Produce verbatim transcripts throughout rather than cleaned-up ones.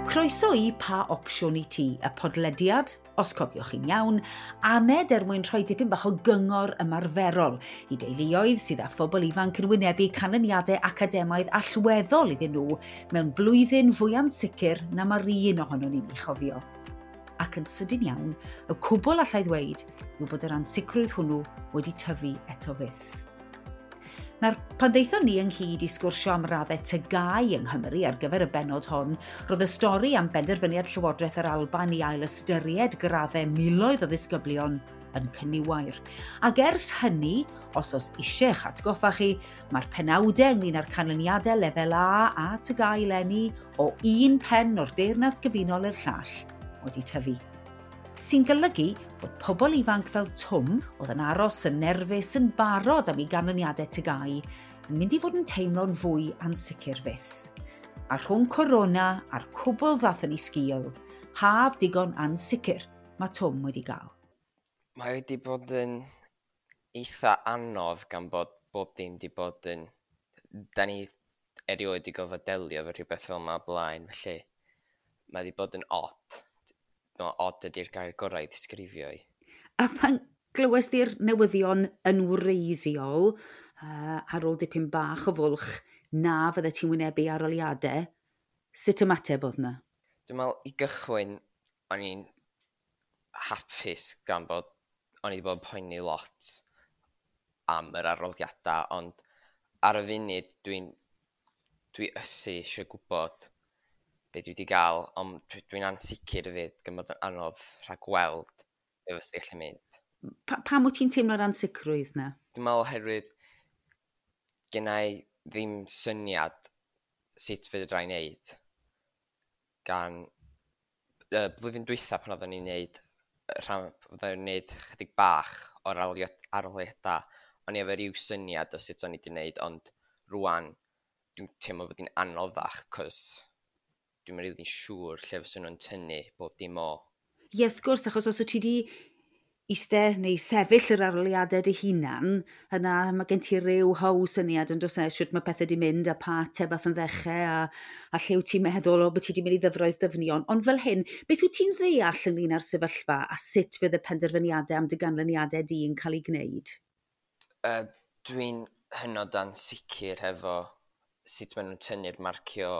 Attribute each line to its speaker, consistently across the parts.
Speaker 1: Croeso i Pa Opsiwn i Ti, y podlediad, os cofiwch chi'n iawn, aned er mwyn rhoi dipyn bach o gyngor ymarferol i deuluoedd sydd â phobl ifanc yn wynebu canlyniadau academaidd allweddol iddyn nhw mewn blwyddyn fwy ansicr na mae'r un ohonon ni'n ei chofio. Ac yn sydyn iawn, y cwbl allai ddweud yw bod yr ansicrwydd hwnnw wedi tyfu eto fyth. Nawr, pan ddeithon ni ynghyd i sgwrsio am raddau T G A U yng Nghymru ar gyfer y benod hon, roedd y stori am benderfyniad Llywodraeth yr Alban i ail ystyried graddau miloedd o ddisgyblion yn cyniwair. Ac ers hynny, os oes eisiau'ch atgoffa chi, mae'r penawdau ynglyn â'r canlyniadau lefel A a T G A U eleni o un pen o'r Deyrnas Gyfunol i'r llall wedi tyfu, sy'n golygu fod pobl ifanc fel Twm, oedd yn aros yn nerfus yn barod am ei ganlyniadau T G A U, yn mynd i fod yn teimlo'n fwy ansicr fyth. A rhwng corona a'r cwbl ddath yn ei sgil, haf digon ansicr mae Twm wedi gael.
Speaker 2: Mae wedi bod yn eitha anodd gan bod bob dim wedi bod yn... Da ni erioed wedi gorfod delio efo rhywbeth fel yma o blaen, felly mae wedi bod yn odd. No, odd ydy'r gair gorau i ddisgrifio i.
Speaker 1: A pan glywes di'r newyddion yn wreiddiol, uh, ar ôl dipyn bach o fwlch, na fydde ti'n wynebu arholiadau, sut ymateb oedd na?
Speaker 2: Dwi'n meddwl i gychwyn, o'n i'n hapus gan bod o'n i wedi bod yn poeni lot am yr arholiadau, ond ar y funud dwi'n dwi ysu eisiau gwybod be dwi wedi gael, ond dwi'n ansicr hefyd gan bod yn anodd rhag gweld be fysa gallu mynd.
Speaker 1: Pa, pam wyt ti'n teimlo'r ansicrwydd na?
Speaker 2: Dwi'n meddwl oherwydd genna i ddim syniad sut fedra i wneud gan y blwyddyn dwytha pan oedden ni'n neud rhan, oedden ni'n neud chydig bach o'r arholiadau, o'n i efo ryw syniad o sut o'n i wedi wneud, ond rwan dwi'n teimlo bod hi'n anoddach, cos dwi'm yn rili'n siŵr lle fyswn nhw'n tynnu bob dim o.
Speaker 1: Ie, wrth gwrs, achos os wyt ti wedi eistedd neu sefyll yr arholiadau dy hunan, yna mae gen ti ryw how syniad yn dos e, sut mae pethau wedi mynd a pa ateb ath yn ddechrau a, a lle wyt ti'n meddwl o bod ti wedi mynd i ddyfroedd dyfnion. Ond fel hyn, beth wyt ti'n ddeall ynglyn â'r sefyllfa a sut fydd y penderfyniadau am dy ganlyniadau di yn cael ei gwneud?
Speaker 2: Uh, dwi'n hynod ansicr hefo sut maen nhw'n tynnu'r marcio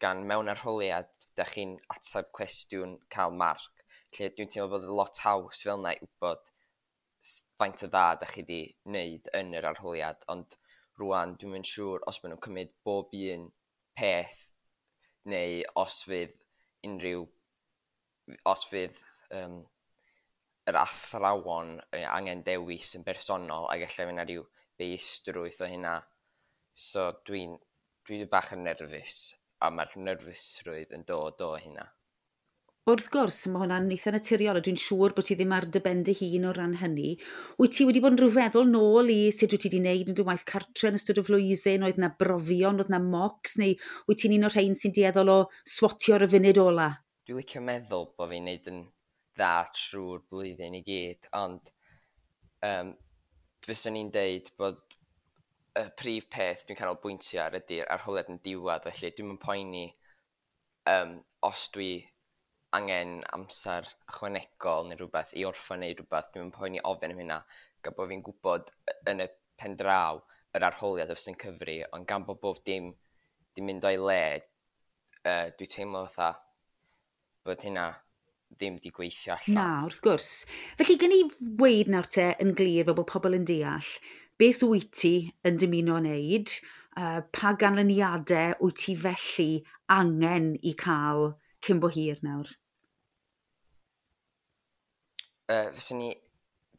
Speaker 2: gan mewn arholiad, da chi'n ateb cwestiwn, cael marc. Lle dwi'n teimlo bod lot haws fel yna i wybod faint o dda da chi wedi wneud yn yr arholiad, ond rwan dwi'm yn siŵr os maen nhw'n cymryd bob un peth neu os fydd unrhyw os fydd um, yr athrawon angen dewis yn bersonol ac ella fydd 'na ryw beistrwydd o hynna. So dwi'n dwi bach yn nerfus a mae'r nerfusrwydd yn dod o hynna.
Speaker 1: Wrth gwrs, mae hwnna'n eitha naturiol a dwi'n siŵr bod ti ddim ar dy ben dy hun o ran hynny. Wyt ti wedi bod yn rhyw feddwl nôl i sut wyt ti wedi wneud yn dy waith cartre yn ystod y flwyddyn? Oedd na brofion, oedd na mocks, neu wyt ti'n un o'r rhain sy'n dueddol o swatio ar y funud ola?
Speaker 2: Dwi'n licio meddwl bod fi'n neud yn dda trwy'r blwyddyn i gyd, ond um, fyswn i'n deud bod y prif peth dwi'n canolbwyntio ar ydy'r arholiad yn diwedd, felly dwi'm yn poeni um, os dwi angen amser ychwanegol neu rhywbeth i orffen neu rhywbeth, dwi'm yn poeni ofyn am hynna, gan bod fi'n gwybod yn y pen draw yr arholiad sy'n cyfri, ond gan bod bob dim di mynd o'i le, uh, dwi teimlo fatha bod hynna ddim di gweithio allan.
Speaker 1: Na, wrth gwrs. Felly, gen i weud nawr te yn glir fel bod pobl yn deall, beth wyt ti yn dymuno wneud, uh, pa ganlyniadau wyt ti felly angen i cael cyn bo hir nawr?
Speaker 2: Uh, fyswn i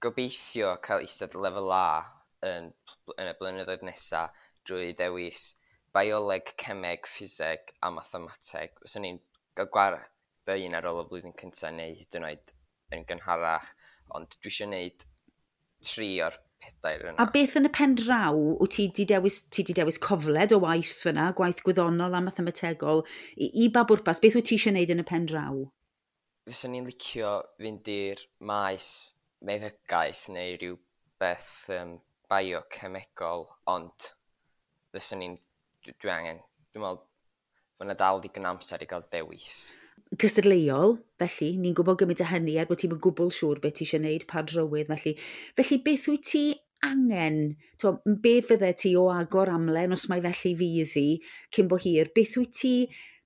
Speaker 2: gobeithio cael eistedd lefel A yn, yn y blynyddoedd nesaf drwy ddewis bioleg, cemeg, ffiseg a mathemateg. Fyswn i'n cael gwared un ar ôl y flwyddyn cyntaf neu hyd yn oed yn gynharach, ond dwi eisiau gwneud tri o'r pedair yna.
Speaker 1: A beth yn y pen draw, wyt ti di dewis, ti di dewis cofled o waith fyna, gwaith gwyddonol a mathemategol, i, i ba bwrpas, beth wyt ti eisiau gwneud yn y pen draw?
Speaker 2: Fyswn i'n licio fynd i'r maes meddygaeth neu rhyw beth um, biocemegol, ond fyswn i'n, dwi, dwi angen, dwi'n meddwl bod yna dal ddigon amser i gael dewis.
Speaker 1: Cystadleuol, felly, ni'n gwybod gymaint o hynny er bod ti'n gwbl siŵr beth ti eisiau gwneud, pa drywydd, felly. Felly, beth wyt ti angen, t'wo, be fydde ti o agor amlen, os mai felly fydd hi, cyn bo hir, beth wyt ti,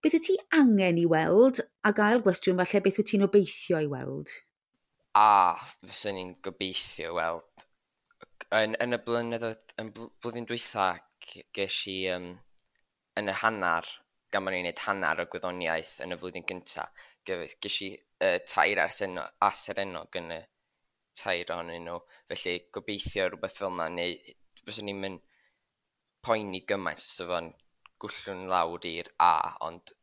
Speaker 1: beth wyt ti angen i weld, a gael gwestiwn falle beth wyt ti'n obeithio i weld?
Speaker 2: A, fyswn i'n gobeithio weld. Yn, yn y blynyddoedd, yn blwyddyn dwytha, ges i um, yn y hanner, gan bod ni'n gwneud hanner o gwyddoniaeth yn y flwyddyn gyntaf, ges i uh, tair A serennog yn y tair ohonyn nhw. Felly gobeithio rhywbeth fel yma, neu fyswn i'n mynd poeni gymaint os fo'n gwllwn lawr i'r A, ond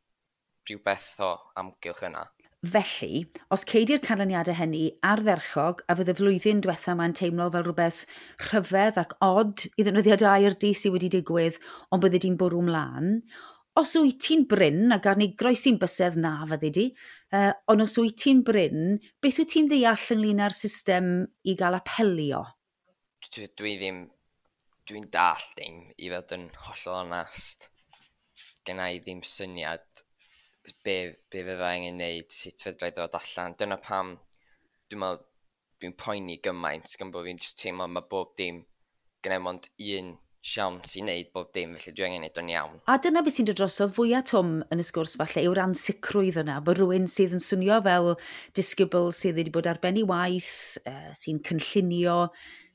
Speaker 2: rhywbeth o amgylch yna.
Speaker 1: Felly, os cei di'r canlyniadau hynny ardderchog, a fydd y flwyddyn diwetha ma'n teimlo fel rhywbeth rhyfedd ac od i ddefnyddio air di sydd wedi digwydd, ond bydde di'n bwrw mlaen. Os wyt ti'n brin, a gan ni groesi'n bysedd na fyddi di, uh, ond os wyt ti'n brin, beth wyt ti'n ddeall ynglyn â'r system i gael apelio?
Speaker 2: Dwi, dwi ddim, dwi'n dall ddim, i fod yn hollol onast. Genna i ddim syniad be, be fydda angen neud, sut fedra i ddod allan. Dyna pam dwi'n meddwl dwi'n poeni gymaint gan bod fi'n just teimlo mae bob dim genna i mond un siawns i wneud bob dim, felly dwi angen neud o'n iawn.
Speaker 1: A dyna beth sy'n dod drosodd fwyaf Twm yn y sgwrs falle yw'r ansicrwydd yna, bod rhywun sydd yn swnio fel disgybl sydd wedi bod ar ben ei waith, uh, sy'n cynllunio,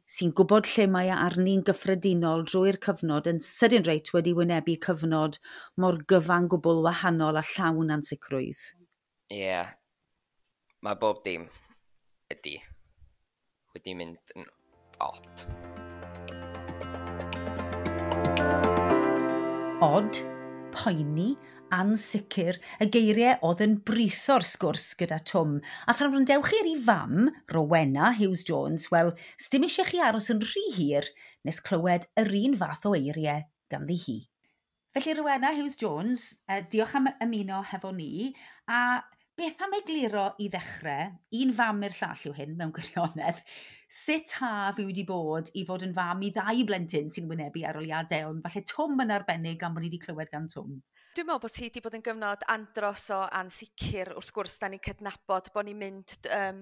Speaker 1: sy'n gwybod lle mae arni'n gyffredinol drwy'r cyfnod yn sydyn reit wedi wynebu cyfnod mor gyfan gwbl wahanol a llawn ansicrwydd.
Speaker 2: Ie, yeah. Mae bob dim ydy wedi mynd yn odd.
Speaker 1: Od, poeni, ansicr, y geiriau oedd yn britho'r sgwrs gyda Twm. A phan wrandewch chi ar ei fam, Rowena Hughes-Jones, wel, sdim eisiau chi aros yn rhy hir nes clywed yr un fath o eiriau ganddi hi. Felly Rowena Hughes-Jones, eh, diolch am ymuno hefo ni, a beth am egluro i ddechrau, un fam i'r llall yw hyn mewn gwirionedd, sut haf yw wedi bod i fod yn fam i ddau blentyn sy'n wynebu arholiadau, ond falle Twm yn arbennig am bod ni wedi clywed gan Twm.
Speaker 3: Dwi'n meddwl bod hi wedi bod yn gyfnod andros o ansicr, wrth gwrs, da ni'n cydnabod bod ni'n mynd um,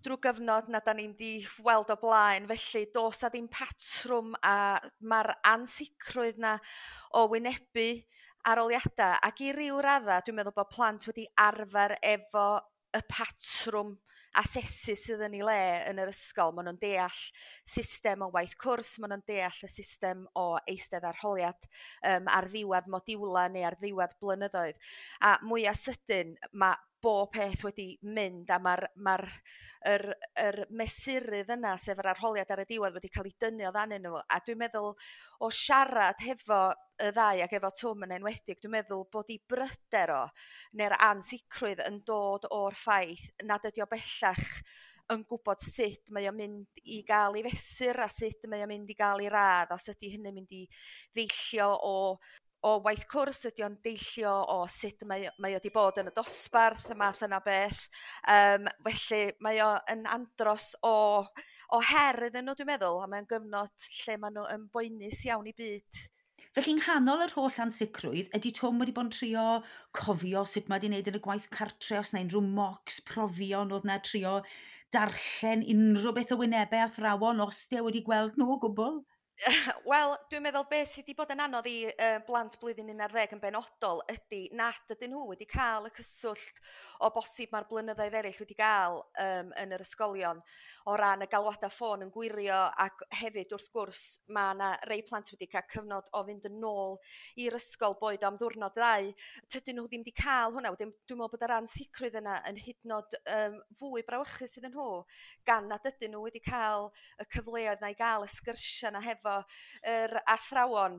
Speaker 3: drwy gyfnod na da ni'n di weld o blaen, felly does a ddim patrwm a mae'r ansicrwydd na o wynebu arholiadau, ac i ryw radda dwi'n meddwl bod plant wedi arfer efo y patrwm asesu sydd yn ei le yn yr ysgol. Maen nhw'n deall system o waith cwrs, maen nhw'n deall y system o eistedd arholiad um, ar ddiwedd modiwla neu ar ddiwedd blynyddoedd. A mwyaf sydyn mae bob peth wedi mynd a mae'r mae'r yr, yr mesurydd yna, sef yr arholiad ar y diwedd, wedi cael ei dynnu o ddanyn nhw. A dwi'n meddwl o siarad hefo y ddau ac efo Twm yn enwedig, dwi'n meddwl bod ei bryder o neu'r ansicrwydd yn dod o'r ffaith nad ydi o bellach yn gwybod sut mae o'n mynd i gael ei fesur a sut mae o'n mynd i gael ei radd, os ydy hynny'n mynd i ddeillio o o waith cwrs, ydy o'n deillio o sut mae, mae o wedi bod yn y dosbarth, y math yna beth. Um, felly mae o yn andros o, o her iddyn nhw, dwi'n meddwl, a mae'n gyfnod lle maen nhw yn boenus iawn i byd.
Speaker 1: Felly yng nghanol yr holl ansicrwydd, ydy Twm wedi bod yn trio cofio sut mae wedi wneud yn y gwaith cartre, os na unrhyw mocks, profion, oedd na trio darllen unrhyw beth o wynebau athrawon, os di e wedi gweld nhw o gwbl?
Speaker 3: Wel, dwi'n meddwl beth sydd wedi bod yn anodd i uh, blant blwyddyn un ar ddeg yn benodol ydy nad ydyn nhw wedi cael y cyswllt o bosib mae'r blynyddoedd eraill wedi gael um, yn yr ysgolion o ran y galwadau ffôn yn gwirio, ac hefyd wrth gwrs mae yna rei plant wedi cael cyfnod o fynd yn ôl i'r ysgol boed am ddiwrnod ddau. Tydyn nhw ddim wedi cael hwnna. Wedyn dwi'n meddwl bod yr ansicrwydd yna yn hyd yn oed um, fwy brawychus iddyn nhw, gan nad ydyn nhw wedi cael y cyfleoedd na i gael y sgyrsiau na hefo yr athrawon.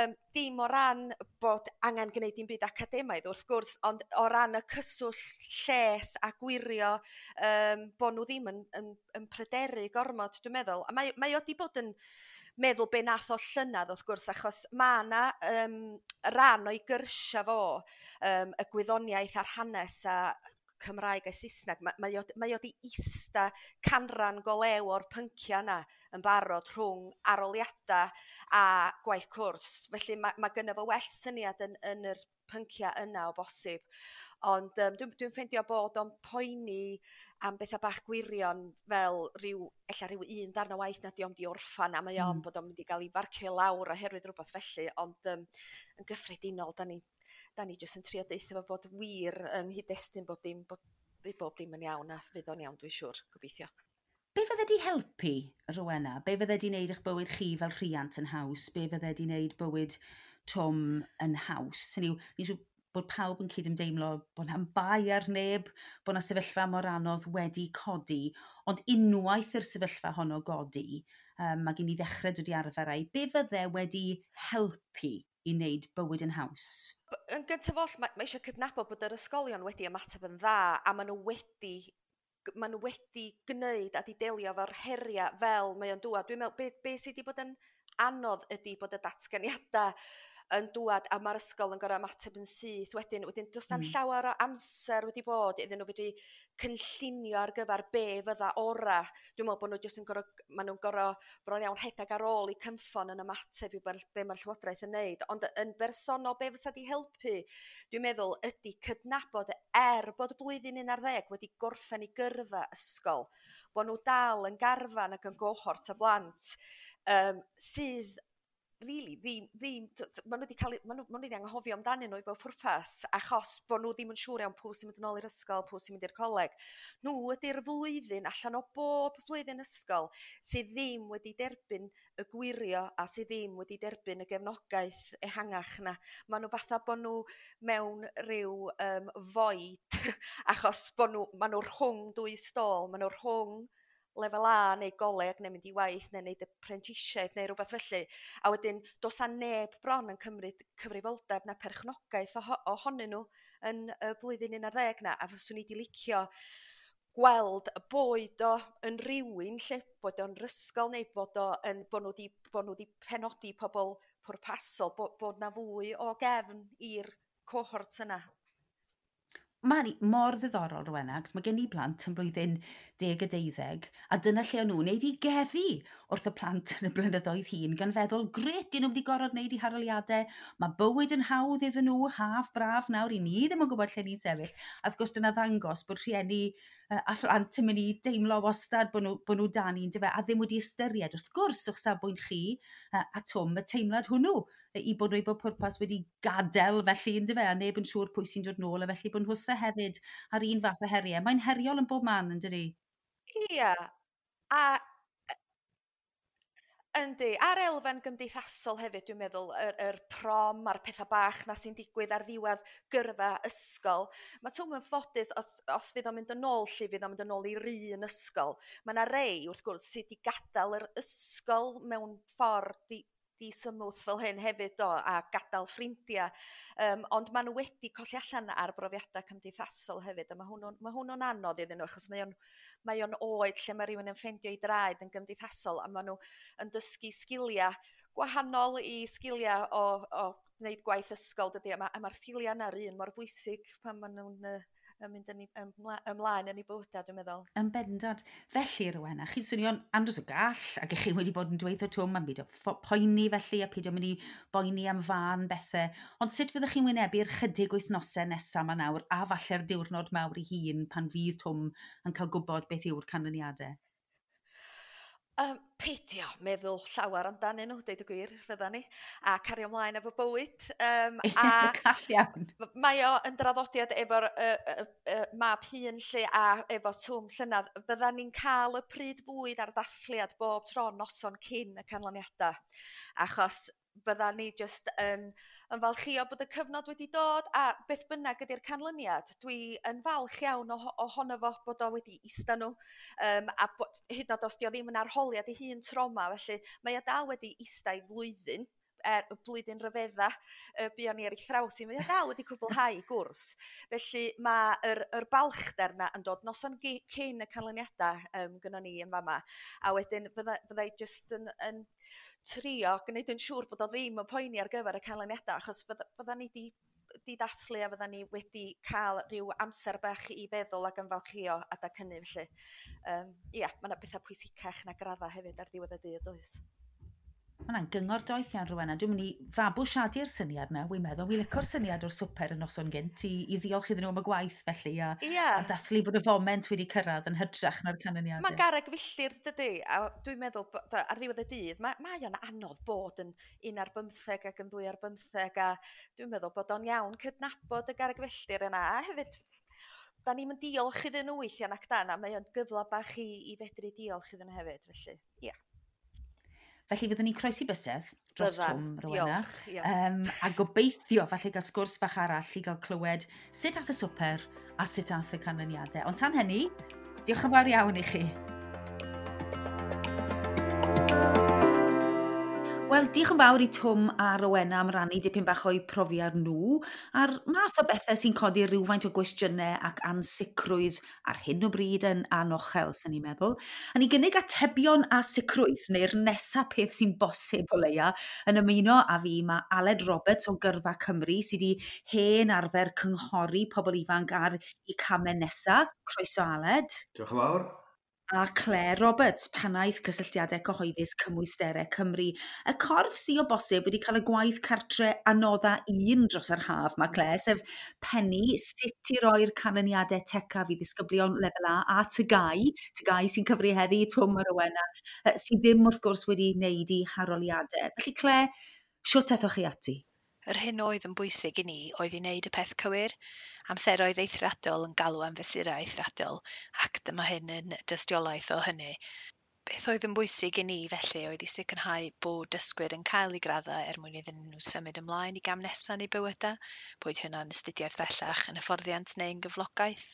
Speaker 3: Um, dim o ran bod angen gwneud dim byd academaidd wrth gwrs, ond o ran y cyswllt lles a gwirio um, bod nhw ddim yn, yn, yn pryderu gormod, dwi'n meddwl. A mae, mae o wedi bod yn meddwl be nath o llynedd wrth gwrs, achos mae yna um, ran o'i gyrsia fo, um, y gwyddoniaeth a'r hanes a Cymraeg a Saesneg, mae, mae, o, mae o di ista canran go lew o'r pyncia yna yn barod rhwng arholiadau a gwaith cwrs. Felly mae, mae gynno fo well syniad yn, yn yr pyncia yna o bosib. Ond um, dwi'n dwi ffeindio bod o'n poeni am bethau bach gwirion fel rhyw, ella rhyw un darn o waith na di o'm di orffan a mae o'n mm. bod o'n mynd i gael ei farcio lawr oherwydd rhywbeth felly, ond um, yn gyffredinol, da ni da ni jyst yn trio deutha fo bod wir yng nghyd-destun bob dim, bod, bob dim yn iawn a fydd o'n iawn, dwi'n siŵr, gobeithio.
Speaker 1: Be fydde di helpu, Rowena? Be fydde di wneud eich bywyd chi fel rhiant yn haws? Be fydde di wneud bywyd Twm yn haws? Hynny yw, fi'n siŵr bod pawb yn cydymdeimlo bod na'm bai ar neb, bod 'na sefyllfa mor anodd wedi codi, ond unwaith i'r sefyllfa honno godi, um, mae gen i ddechrau dod i arfer â'i, be fydde wedi helpu i wneud bywyd yn haws?
Speaker 3: Yn gyntaf oll, mae, mae eisiau cydnabod bod yr ysgolion wedi ymateb yn dda a maen nhw wedi maen nhw wedi gwneud a di delio efo'r heriau fel mae o'n dŵad. Dwi'n meddwl, be, be sydd wedi bod yn anodd ydy bod y datganiadau yn dŵad a mae'r ysgol yn gorfod ymateb yn syth wedyn. Wedyn does na'm mm. llawer o amser wedi bod iddyn nhw fedru cynllunio ar gyfer be fydda ora. Dwi'n meddwl bod nhw jyst yn gorfod, maen nhw'n gorfod bron iawn rhedeg ar ôl i cynffon yn ymateb i be mae'r llywodraeth yn neud. Ond yn bersonol, be fysa di helpu, dwi'n meddwl, ydy cydnabod er bod blwyddyn un ar ddeg wedi gorffen i gyrfa ysgol, bod nhw dal yn garfan ac yn gohort o blant um, sydd really ddim, ddim, maen nhw wedi cael, maen nhw, maen nhw wedi anghofio amdanyn nhw i bob pwrpas, achos bod nhw ddim yn siŵr iawn pwy sy'n mynd yn ôl i'r ysgol, pwy sy'n mynd i'r coleg. Nhw ydy'r flwyddyn allan o bob blwyddyn ysgol sydd ddim wedi derbyn y gwirio a sydd ddim wedi derbyn y gefnogaeth ehangach na. Maen nhw fatha bod nhw mewn rhyw um, void, achos bod nhw, maen nhw rhwng dwy stôl, maen nhw rhwng lefel A neu goleg neu mynd i waith neu wneud y prentisiaeth neu rhywbeth felly. A wedyn does 'na neb bron yn cymryd cyfrifoldeb na perchnogaeth ohonyn nhw yn y blwyddyn un ar ddeg na. A fyswn i 'di licio gweld boed o yn rywun lle, bod o'n ysgol neu bod o yn, bod nhw 'di, bod nhw 'di penodi pobl pwrpasol, bod, bod 'na fwy o gefn i'r cohort yna.
Speaker 1: Mae'n mor ddiddorol, Rowena, achos mae gen i blant yn blwyddyn deg a deuddeg, a dyna lle o'n nhw'n eiddigeddu wrth y plant yn y blynyddoedd hŷn, gan feddwl, gret, dyn nhw wedi gorfod wneud i haroliadau, mae bywyd yn hawdd iddyn nhw, haf braf nawr, i ni ddim yn gwybod lle ni'n sefyll. A wrth gwrs dyna ddangos bod rhieni a phlant yn mynd i deimlo wastad bod nhw, bod nhw dan un, dyfe, a ddim wedi ystyried, wrth gwrs, o'ch safbwynt chi a Twm, y teimlad hwnnw, i bod nhw i bob pwrpas wedi gadael felly, yndyfe, a neb yn siŵr pwy sy'n dod nôl, a felly bod nhwtha hefyd ar un fath o heriau. Mae'n heriol yn bob man, yn dydi?
Speaker 3: Ia, a yndi, a'r elfen gymdeithasol hefyd, dwi'n meddwl, yr, yr prom a'r pethau bach na sy'n digwydd ar ddiwedd gyrfa ysgol. Mae Twm yn ffodus, os, os fydd o'n mynd yn ôl lle, fydd o'n mynd yn ôl i'r un ysgol. Mae yna rei, wrth gwrs, sydd wedi gadael yr ysgol mewn ffordd di, di symwth fel hyn hefyd do, a gadael ffrindiau. Um, ond maen nhw wedi colli allan ar brofiadau cymdeithasol hefyd, a mae hwnnw'n, mae hwnnw'n anodd iddyn nhw, achos mae o'n, mae o'n oed lle mae rhywun yn ffeindio ei draed yn gymdeithasol, a maen nhw yn dysgu sgiliau gwahanol i sgiliau o, o wneud gwaith ysgol, dydy, a mae'r ma sgiliau yna'r un mor bwysig pan maen nhw'n uh, yn mynd yn ymlaen yn ei bywydau, dwi'n meddwl.
Speaker 1: Yn bendant. Felly, Rowena, chi'n swnio'n andros o gall, ac chi wedi bod yn dweud o Twm am beidio poeni felly, a peidio mynd i boeni am fân bethau. Ond sut fyddwch chi'n wynebu'r chydig wythnosau nesaf yma nawr, a falle'r diwrnod mawr ei hun pan fydd Twm yn cael gwybod beth yw'r canlyniadau?
Speaker 3: Um, peidio meddwl llawer amdanyn nhw, deud y gwir, fydda ni, a cario ymlaen efo bywyd. Um,
Speaker 1: a Call iawn.
Speaker 3: Mae o yn draddodiad efo'r uh, uh, uh, mab hŷn lle a efo Twm llynadd. Bydda ni'n cael y pryd bwyd a'r dathliad bob tro noson cyn y canlyniadau, achos bydda ni jyst yn, yn falchio bod y cyfnod wedi dod, a beth bynnag ydy'r canlyniad, dwi yn falch iawn ohono fo bod o wedi ista nhw, um, a bod, hyd yn oed os di o ddim yn arholiad ei hun trauma, felly mae o dal wedi ista i flwyddyn, er, y blwyddyn ryfedda y buon ni ar ei thraws i, mae o dal wedi cwblhau gwrs. Felly mae yr, yr balchder na yn dod noson cyn y canlyniadau um, gynnon ni yn fama. A wedyn fydda, fydda i jyst yn, yn trio gwneud yn siŵr bod o ddim yn poeni ar gyfer y canlyniadau, achos fydda, fydda ni di di dathlu a fyddan ni wedi cael rhyw amser bach i feddwl ac ymfalchïo adag hynny felly. Um, ia, mae yna bethau pwysicach na gradda hefyd ar ddiwedd y dydd, does?
Speaker 1: Mae hwnna'n gyngor doeth iawn, Rowena. Dwi'n mynd i fabwysiadu'r syniad na, wy'n meddwl. Wi'n licio'r syniad o'r swper y noson gynt i, i ddiolch iddyn nhw am y gwaith felly a,
Speaker 3: yeah.
Speaker 1: a dathlu bod y foment wedi cyrraedd yn hytrach na'r canlyniadau.
Speaker 3: Mae'n garreg filltir, dydy, a dwi'n meddwl ar ddiwedd y dydd, mae, mae o'n anodd bod yn un ar bymtheg ac yn ddwy ar bymtheg, a dwi'n meddwl bod o'n iawn cydnabod y garreg filltir yna, a hefyd da ni'n mynd diolch iddyn nhw weithiau nac dan, a mae o'n gyfle bach i, i fedru diolch iddyn nhw hefyd, felly, ie. Yeah.
Speaker 1: Felly fyddwn ni'n croesi bysedd dros
Speaker 3: Byddan,
Speaker 1: Twm, Rowena.
Speaker 3: Diolch, ia.
Speaker 1: Um, a gobeithio falle gael sgwrs bach arall i gael clywed sut ath y swper a sut ath y canlyniadau. Ond tan hynny, diolch yn fawr iawn i chi. Wel, diolch yn fawr i Twm a Rowena am rannu dipyn bach o'u profiad nhw a'r math o bethau sy'n codi rhywfaint o gwestiynau ac ansicrwydd ar hyn o bryd yn anochel, sy'n ni'n meddwl. A ni gynnig atebion a sicrwydd, neu'r nesa peth sy'n bosib o leia, yn ymuno â fi mae Aled Roberts o Gyrfa Cymru sydd wedi hen arfer cynghori pobl ifanc ar eu camau nesa. Croeso, Aled.
Speaker 4: Diolch yn fawr.
Speaker 1: A Claire Roberts, pennaeth cysylltiadau cyhoeddus Cymwysterau Cymru. Y corff sydd o bosib wedi cael y gwaith cartre anodda un dros yr haf, mae Claire, sef pennu sut i roi'r canlyniadau tecaf i ddisgyblion lefel A a T G A U, T G A U sy'n cyfri heddi, Twm a Rowena, sydd ddim wrth gwrs wedi wneud eu harholiadau. Felly Claire, siwt aethoch chi ati?
Speaker 5: Yr hyn oedd yn bwysig i ni oedd i wneud y peth cywir. Amseroedd eithriadol yn galw am fesurau eithriadol, ac dyma hyn yn dystiolaeth o hynny. Beth oedd yn bwysig i ni felly oedd i sicrhau bod dysgwyr yn cael eu graddau er mwyn iddyn nhw symud ymlaen i gam nesaf yn eu bywydau, boed hynna'n astudiaeth bellach, yn hyfforddiant neu'n gyflogaeth.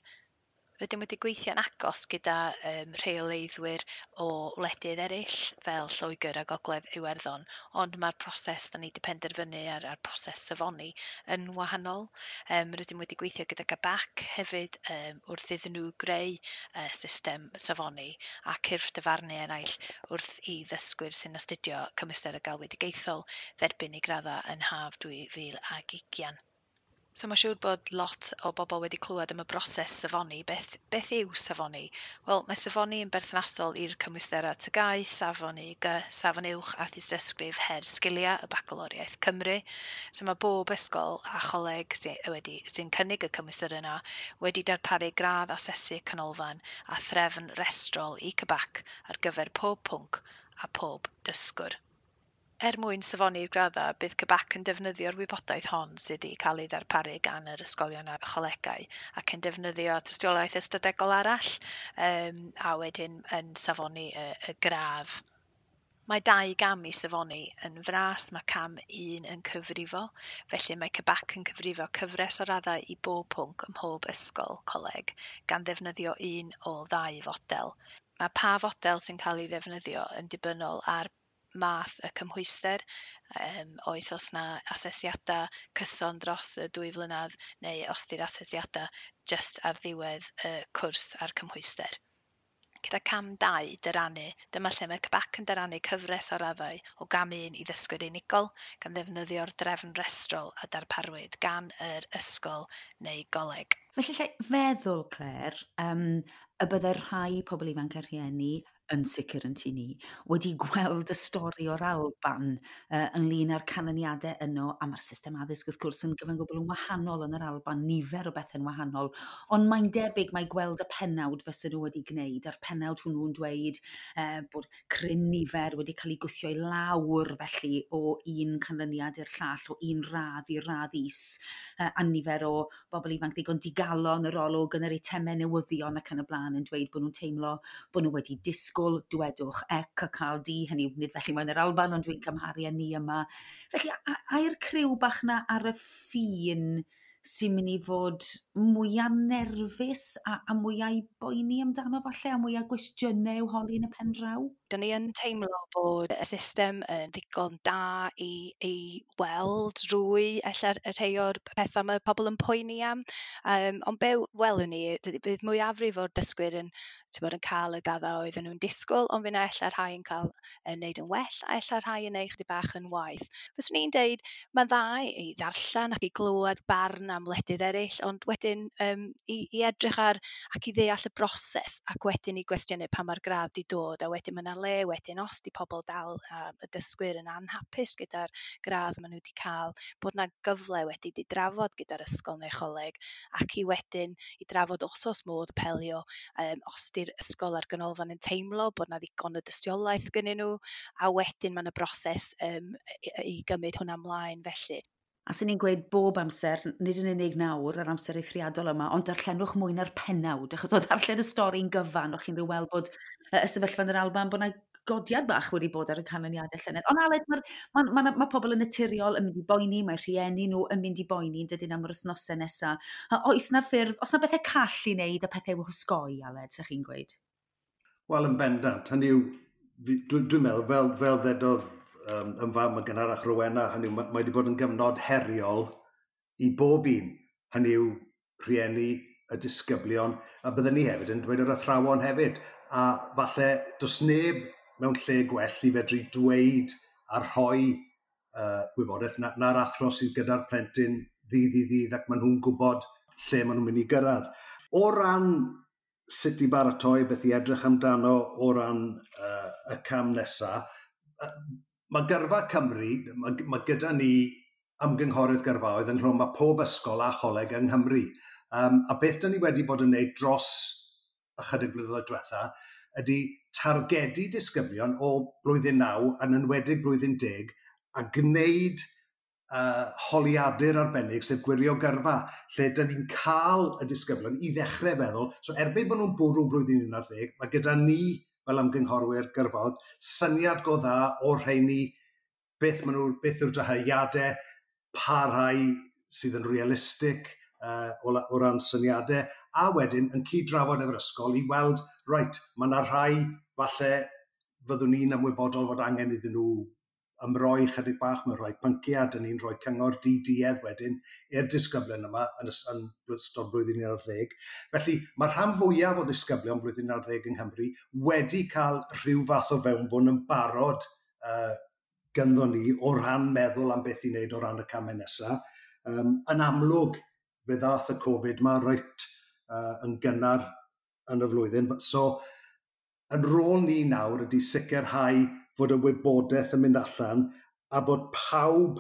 Speaker 5: Rydym wedi gweithio'n agos gyda um, rheoleiddwyr o wledydd eraill fel Lloegr a Gogledd Iwerddon, ond mae'r proses da ni wedi penderfynu ar, ar proses safoni yn wahanol. Um, rydym wedi gweithio gyda C B A C hefyd um, wrth iddyn nhw greu uh, system safoni a cyrff dyfarnu eraill wrth i ddysgwyr sy'n astudio cymwysterau galwedigaethol dderbyn eu graddau yn haf dwy fil ac ugain. So mae'n siŵr bod lot o bobl wedi clywed am y broses safoni. Beth, beth yw safoni? Wel, mae safoni yn berthnasol i'r cymwysterau T G A U, Safon U G, Safon Uwch a Thystysgrif Her Sgiliau y Bagaloriaeth Cymru. So mae bob ysgol a choleg sy'n wedi, sy'n cynnig y cymwysterau yna wedi darparu gradd asesu canolfan a threfn restrol i C B A C ar gyfer pob pwnc a pob dysgwr. Er mwyn safoni'r graddau, bydd C B A C yn defnyddio'r wybodaeth hon sydd wedi cael ei ddarparu gan yr ysgolion a cholegau ac yn defnyddio tystiolaeth ystadegol arall um, a wedyn yn safoni y, y gradd. Mae dau gam i safoni. Yn fras, mae cam un yn cyfrifo, felly mae C B A C yn cyfrifo cyfres o raddau i bob pwnc ym mhob ysgol coleg, gan ddefnyddio un o ddau fodel. Mae pa fodel sy'n cael ei ddefnyddio yn dibynnol ar math y cymhwyster, um, oes os na asesiadau cyson dros y dwy flynedd neu os di'r asesiadau just ar ddiwedd y cwrs a'r cymhwyster. Gyda cam dau, dyrannu, dyma lle mae C B A C yn dyrannu cyfres o raddau o gam un i ddysgwyr unigol gan ddefnyddio'r drefn restrol a darparwyd gan yr ysgol neu goleg.
Speaker 1: Felly lle feddwl, Claire, um, y byddai rhai pobl ifanc a rhieni yn sicr yn tŷ ni, wedi gweld y stori o'r Alban uh, ynglyn â'r canlyniadau yno, a mae'r system addysg wrth gwrs yn gyfan gwbl yn wahanol yn yr Alban, nifer o bethau'n wahanol, ond mae'n debyg mae gweld y pennawd fysa nhw wedi gwneud, a'r pennawd hwnnw'n dweud uh, bod cryn nifer wedi cael ei gwthio i lawr felly o un canlyniad i'r llall, o un radd i radd is, uh, a nifer o bobl ifanc ddigon digalon yr olwg yn yr eitemau newyddion ac yn y blaen yn dweud bod nhw'n teimlo bod nhw wedi disgwyl, dwedwch, ec a cael D, hynny yw, nid felly mae'n yr Alban, ond dwi'n cymharu â ni yma. Felly, ai'r criw bach na ar y ffin sy'n mynd i fod mwyaf nerfus a, a mwyaf i boeni amdano falle, a mwyaf gwestiynau i'w holi yn y pen draw?
Speaker 5: Dyn ni yn teimlo bod y system yn ddigon da i, i weld drwy ella rhai o'r pethau mae pobl yn poeni am. Um, ond be welwn ni, bydd mwyafrif o'r dysgwyr yn, bod, yn cael y graddau oedden nhw'n disgwyl, ond fydd 'na ella rhai yn cael yn neud yn well, a ella rhai yn neud chydig bach yn waeth. Fyswn i'n deud, mae'n dda i ddarllen ac i glywed barn am wledydd eraill, ond wedyn um, i, i edrych ar ac i ddeall y broses, ac wedyn i gwestiynu pan mae'r gradd di dod, a wedyn mae 'na le wedyn os di pobl dal um, y dysgwyr yn anhapus gyda'r gradd maen nhw wedi cael, bod 'na gyfle wedi di drafod gyda'r ysgol neu choleg, ac i wedyn i drafod os oes modd apelio, um, os di'r ysgol a'r ganolfan yn teimlo bod 'na ddigon o dystiolaeth gynnyn nhw, a wedyn mae 'na broses um, i, i gymryd hwnna ymlaen felly.
Speaker 1: A sy'n ni'n gweud bob amser, nid yn unig nawr, yr amser eithriadol yma, ond darllenwch mwy na'r pennawd, achos o ddarllen y stori'n gyfan, o'ch chi'n rhyw weld bod y sefyllfa yn yr Alban, bod yna godiad bach wedi bod ar y canlyniadau llynedd. Ond Aled, mae ma, ma, ma, ma pobl yn naturiol yn mynd i boeni, mae rhieni nhw yn mynd i boeni yn dydyn am yr wythnosau nesaf. Oes na ffyrdd, oes na bethau call i wneud a pethau i'w hosgoi, Aled, sa'ch chi'n gweud?
Speaker 4: Wel, yn bendant. Hynny yw, dwi'n dwi meddwl, fel, fel ddedodd um, yn fam yn gynharach Rowena, hynny yw, mae wedi bod yn gyfnod heriol i bob un. Hynny yw, rhieni, y disgyblion, a byddwn ni hefyd yn dweud yr athrawon hefyd. A falle does neb mewn lle gwell i fedru dweud a rhoi uh, gwybodaeth na'r na athro sydd gyda'r plentyn ddydd i ddydd ac maen nhw'n gwybod lle maen nhw'n mynd i gyrraedd. O ran sut i baratoi, beth i edrych amdano o ran uh, y cam nesaf, uh, mae Gyrfa Cymru, mae, mae gyda ni ymgynghorydd gyrfaoedd ynghlwm â pob ysgol a choleg yng Nghymru. Um, a beth dyn ni wedi bod yn neud dros ychydig blynyddoedd diwetha ydy targedu disgyblion o blwyddyn naw yn enwedig blwyddyn deg a gwneud uh, holiadur arbennig, sef gwirio gyrfa, lle dyn ni'n cael y disgyblion i ddechrau feddwl. So erbyn bod nhw'n bwrw blwyddyn un ar ddeg, mae gyda ni fel ymgynghorwyr gyrfaoedd syniad go dda o'r rheini, beth, maen nhw, beth yw'r dyheadau, pa rhai sydd yn realistig uh, o, o ran syniadau, a wedyn yn cyd-drafod efo'r ysgol i weld, reit, mae yna rhai falle fyddwn ni'n ymwybodol fod angen iddyn nhw ymroi chydig bach mewn rhai pynciau, dyn ni'n rhoi cyngor di-duedd wedyn i'r disgyblion yma yn, yn ystod blwyddyn un ar ddeg. Felly mae'r rhan fwyaf o ddisgyblion blwyddyn un ar ddeg yng Nghymru wedi cael rhyw fath o fewnbwn yn barod uh, gynddo ni o ran meddwl am beth i wneud o ran y camau nesaf. Um, yn amlwg, fe ddath y Covid ma reit uh, yn gynnar yn y flwyddyn. So, yn rôl ni nawr ydy sicrhau fod y wybodaeth yn mynd allan a bod pawb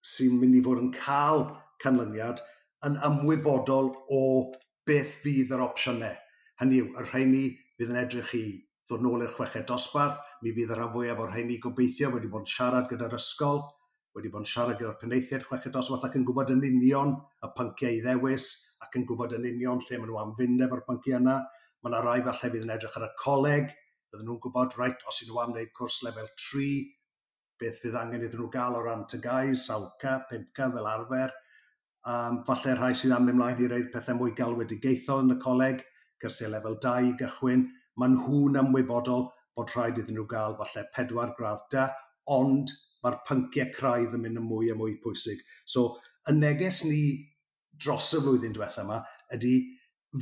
Speaker 4: sy'n mynd i fod yn cael canlyniad yn ymwybodol o beth fydd yr opsiynau. Hynny yw, y rheini fydd yn edrych i ddod nôl i'r chweched dosbarth, mi fydd y rhan fwyaf o'r rheini gobeithio wedi bod yn siarad gyda'r ysgol, wedi bod yn siarad gyda'r penaethiaid chweched dosbarth ac yn gwybod yn union y pynciau i ddewis ac yn gwybod yn union lle maen nhw am fynd efo'r pynciau yna. Mae yna rai falle fydd yn edrych ar y coleg, bydden nhw'n gwybod, reit, os ydyn nhw am wneud cwrs lefel tri, beth fydd angen iddyn nhw gael o ran T G A U, saw C, pump C fel arfer. Um, falle rhai sydd am mynd mlaen i reid pethau mwy galwedigaethol yn y coleg, cyrsiau lefel dau i gychwyn. Maen nhw'n ymwybodol bod rhaid iddyn nhw gael falle pedwar gradd da, ond mae'r pynciau craidd yn mynd yn mwy a mwy pwysig. So, y neges ni dros y flwyddyn diwetha yma ydy,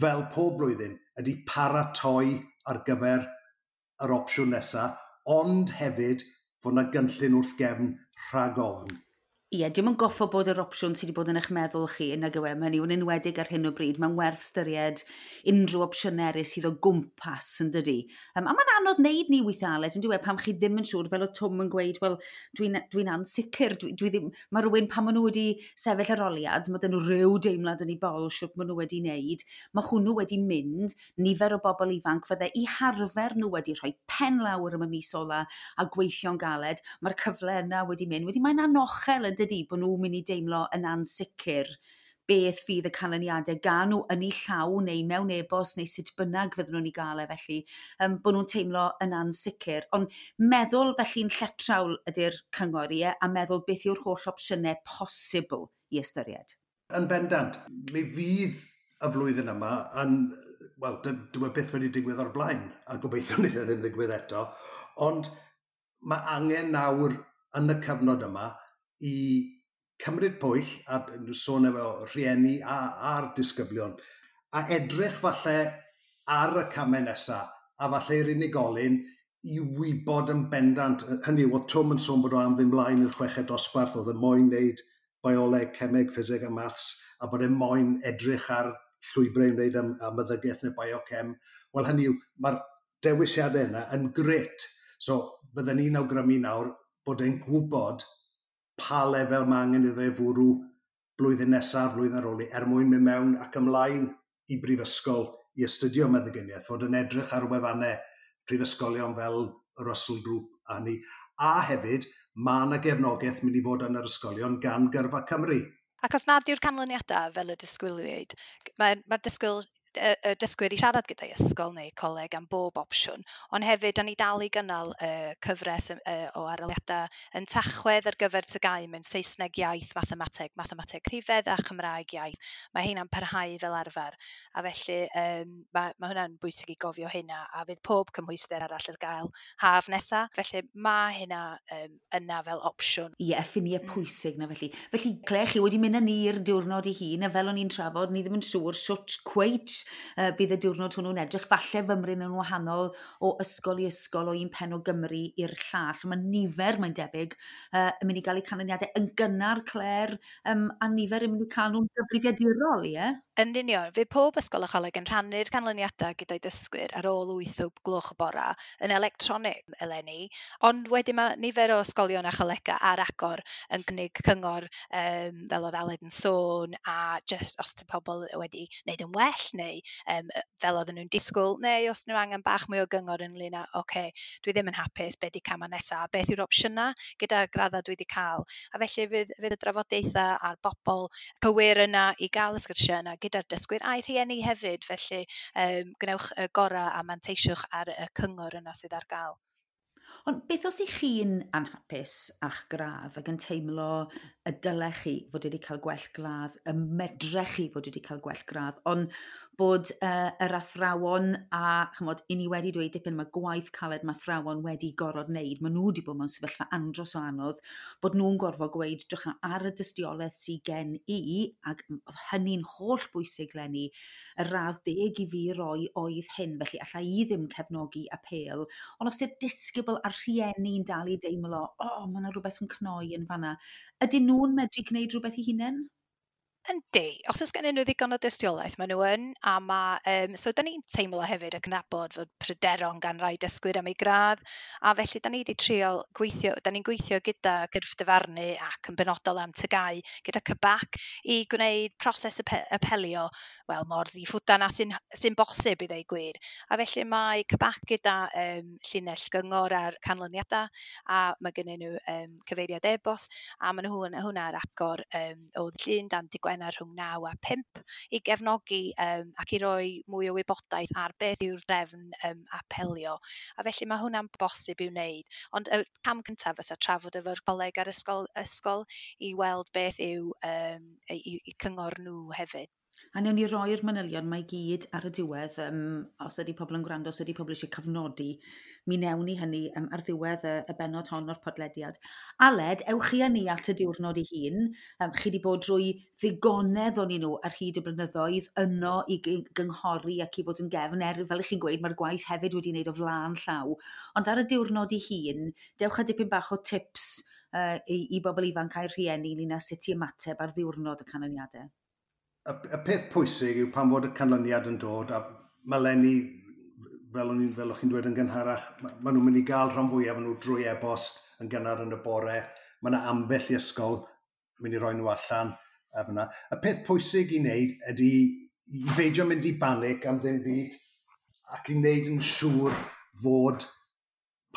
Speaker 4: fel pob blwyddyn, ydy paratoi ar gyfer yr opsiwn nesaf, ond hefyd fod yna gynllun wrth gefn rhag ofn.
Speaker 1: Ie, dim yn goffo bod yr opsiwn sydd wedi bod yn eich meddwl chi yn nag yw e, mae'n yw'n enwedig ar hyn o bryd, mae'n werth ystyried unrhyw opsiynau eraill sydd o gwmpas yn dydi. Um, a mae'n anodd wneud ni weithiau, Aled, yn dyw e, pam chi ddim yn siŵr, fel o Twm yn gweud, wel, dwi'n dwi ansicr, dwi, dwi ddim, mae rhywun pan maen nhw wedi sefyll arholiad, mae dyn nhw rhyw deimlad yn ei bol siwt maen nhw wedi wneud, mae hwnnw wedi mynd, nifer o bobl ifanc fydde i harfer nhw wedi rhoi pen lawr am y mis ola a gweithio'n galed, mae'r cyfle yna wedi mynd. Wedi mae'n anochel yn dydi bod nhw'n mynd i deimlo yn ansicr beth fydd y canlyniadau gan nhw yn eu llaw neu mewn e-bost neu sut bynnag fydden nhw'n ei gael e felly, um, bod nhw'n teimlo yn ansicr. Ond meddwl felly'n lletrawl ydy'r cyngor i e, a meddwl beth yw'r holl opsiynau posibl i ystyried.
Speaker 4: Yn bendant, mi fydd y flwyddyn yma yn, wel, dyw e byth wedi digwydd o'r blaen, a gobeithio wneith e ddim ddigwydd eto, Ond mae angen nawr yn y cyfnod yma i cymryd pwyll, a sôn efo rhieni a, a'r disgyblion, a edrych falle ar y camau nesaf, a falle i'r unigolyn i wybod yn bendant. Hynny yw, oedd Twm yn sôn bod o am fynd mlaen i'r chweched dosbarth, oedd e moyn wneud bioleg, cemeg, ffiseg a maths, a bod e moyn edrych ar llwybrau i wneud am, am meddygaeth neu biochem. Wel, hynny yw, mae'r dewisiadau yna yn grêt. So, bydden ni'n awgrymu nawr bod e'n gwybod pa lefel mae angen iddo fe fwrw blwyddyn nesaf, blwyddyn ar ôl i, er mwyn mynd mewn ac ymlaen i brifysgol i astudio meddyginiaeth, fod yn edrych ar wefannau prifysgolion fel y Russell Group a hynny. A hefyd, mae yna gefnogaeth mynd i fod yn yr ysgolion gan Gyrfa Cymru.
Speaker 5: Ac os nad yw'r canlyniadau fel y disgwyliwyd, mae'r mae disgwyl y, y dysgwyr i siarad gyda'i ysgol neu coleg am bob opsiwn, ond hefyd, da ni dal i gynnal y cyfres y, o arholiadau yn Tachwedd ar gyfer T G A U mewn Saesneg iaith, mathemateg, mathemateg rhifedd a Chymraeg iaith. Mae heina'n parhau fel arfer, a felly um, mae, mae hwnna'n bwysig i gofio hynna, a fydd pob cymhwyster arall ar gael haf nesa. Felly mae hynna um, yna fel opsiwn.
Speaker 1: Ie, yeah, ffiniau mm. pwysig na felly. Felly, Claire, chi wedi mynd â ni i'r diwrnod i hun, a fel o'n i'n trafod, ni ddim yn siŵr siwt cweit uh, bydd y diwrnod hwnnw'n edrych. Falle fymryn yn wahanol o ysgol i ysgol, o un pen o Gymru i'r llall. Mae nifer, mae'n debyg, uh, yn mynd i gael eu canlyniadau yn gynnar, Claire, um, a nifer yn mynd i cael nhw'n gyfrifiadurol, ie?
Speaker 5: Yn union, fydd pob ysgol a choleg yn rhannu'r canlyniadau gyda'i dysgwyr ar ôl wyth o gloch y bora yn electronig eleni, ond wedyn mae nifer o ysgolion a cholegau ar agor yn cynnig cyngor, um, fel oedd Aled yn sôn, a just os ydy pobl wedi wneud yn well neu um, fel oedden nhw'n disgwyl, neu os nhw angen bach mwy o gyngor ynglyn â, "Oce, okay, dwi ddim yn hapus, beth di camau nesaf, beth yw'r opsiynau gyda graddau dwi wedi cael?" A felly fydd, fydd y drafodaethau a'r bobl cywir yna i gael y sgyrsiau yna gyda'r dysgwyr a'i rhieni hefyd, felly um, gwnewch y gorau a manteisiwch ar y cyngor yna sydd ar gael.
Speaker 1: Ond beth os ych chi'n anhapus a'ch gradd ac yn teimlo y dylech chi fod wedi cael gwell gradd, y medrech chi fod wedi cael gwell gradd, ond bod uh, yr athrawon a, chymod, i ni wedi dweud dipyn mae gwaith caled mae athrawon wedi gorfod wneud, maen nhw wedi bod mewn sefyllfa andros o anodd, bod nhw'n gorfod gweud, "Drych ar y dystiolaeth sydd gen i," ac oedd hynny'n holl bwysig leni, "y radd deg i fi roi oedd hyn, felly allai i ddim cefnogi apêl." Ond os yw'r disgybl a'r rhieni'n dal i deimlo, "O, oh, mae yna rhywbeth yn cnoi yn fanna," ydyn nhw'n medru gwneud rhywbeth i hunain?
Speaker 5: Yndi, os oes gennyn nhw ddigon o dystiolaeth, maen nhw yn, a ma', um, so da ni'n teimlo hefyd ac yn nabod fod pryderon gan rai dysgwyr am eu gradd, a felly da ni wedi trio gweithio, da ni'n gweithio gyda gyrff dyfarnu ac yn benodol am T G A U gyda C B A C i gwneud proses apelio, wel, mor ddiffwdan a sy'n sy bosib i ddweud gwir. A felly mae C B A C gyda um, llinell gyngor ar canlyniadau, a mae gennyn nhw um, cyfeiriad e-bost, a maen nhw hwnna ar agor um, o Llun dan dydd Gwener rhwng naw a pump i gefnogi um, ac i roi mwy o wybodaeth ar beth yw'r drefn um, apelio. A felly mae hwnna'n bosib i'w wneud. Ond y cam cyntaf fysa trafod efo'r coleg a'r ysgol, ysgol i weld beth yw um, eu, eu cyngor nhw hefyd.
Speaker 1: A newn ni roi'r manylion mae gyd ar y diwedd, um, os ydy pobl yn gwrando, os ydy pobl eisiau cofnodi, mi newn ni hynny um, ar ddiwedd y, y benod hon o'r podlediad. Aled, ewch chi â ni at y diwrnod ei hun. Um, chi wedi bod drwy ddigonedd o'n nhw ar hyd y blynyddoedd yno i gynghori ac i fod yn gefn. Er, fel ych chi'n gweud, mae'r gwaith hefyd wedi wneud o flaen llaw. Ond ar y diwrnod ei hun, dewch â dipyn bach o tips uh, i, i bobl ifanc a'i rhieni ynglyn â sut i ymateb ar ddiwrnod y canlyniadau.
Speaker 4: Y, y peth pwysig yw pan fod y canlyniad yn dod, a mae leni, fel o'n i'n fel o'ch chi'n dweud yn gynharach, maen nhw'n mynd i gael rhan fwyaf nhw drwy e-bost yn gynnar yn y bore. Mae yna ambell i ysgol mynd i roi nhw allan. A fyna. Y peth pwysig i wneud ydy i beidio mynd i banic am ddim byd ac i wneud yn siŵr fod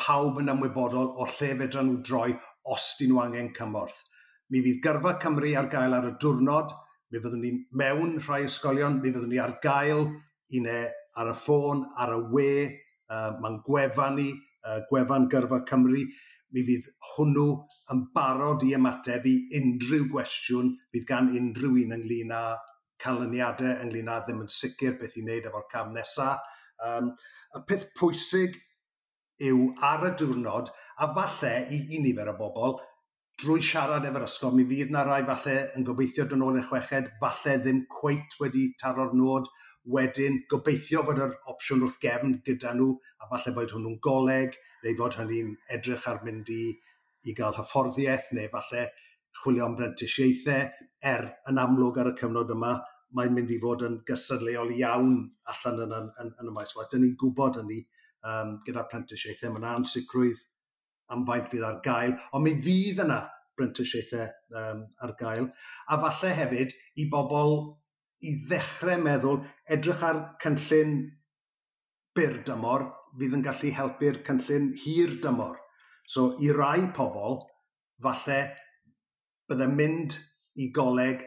Speaker 4: pawb yn ymwybodol o lle fedra nhw droi os dyn nhw angen cymorth. Mi fydd Gyrfa Cymru ar gael ar y diwrnod, mi fyddwn ni mewn rhai ysgolion, mi fyddwn ni ar gael i ne ar y ffôn, ar y we, uh, mae'n gwefan ni, uh, gwefan Gyrfa Cymru, mi fydd hwnnw yn barod i ymateb i unrhyw gwestiwn fydd gan unrhyw un ynglyn â canlyniadau, ynglyn â ddim yn sicr beth i wneud efo'r cam nesaf. Um, y peth pwysig yw ar y diwrnod, a falle i, i nifer o bobl, drwy siarad efo'r ysgol, mi fydd na rai falle yn gobeithio dod nôl i'r chweched, falle ddim cweit wedi taro'r nod, wedyn gobeithio fod yr opsiwn wrth gefn gyda nhw, a falle bod hwnnw'n goleg, neu fod hynny'n edrych ar mynd i, i gael hyfforddiaeth, neu falle chwilio am brentisiaethau, er yn amlwg ar y cyfnod yma, mae'n mynd i fod yn gystadleuol iawn allan yn, yn, yn, yn y maes. Dyn ni'n gwybod hynny um, gyda'r prentisiaethau, mae yna ansicrwydd am faint fydd ar gael, ond mi fydd yna brentisiaethau um, ar gael. A falle hefyd i bobl i ddechrau meddwl, edrych ar cynllun byr dymor fydd yn gallu helpu'r cynllun hir dymor. So i rai pobl, falle bydde mynd i goleg,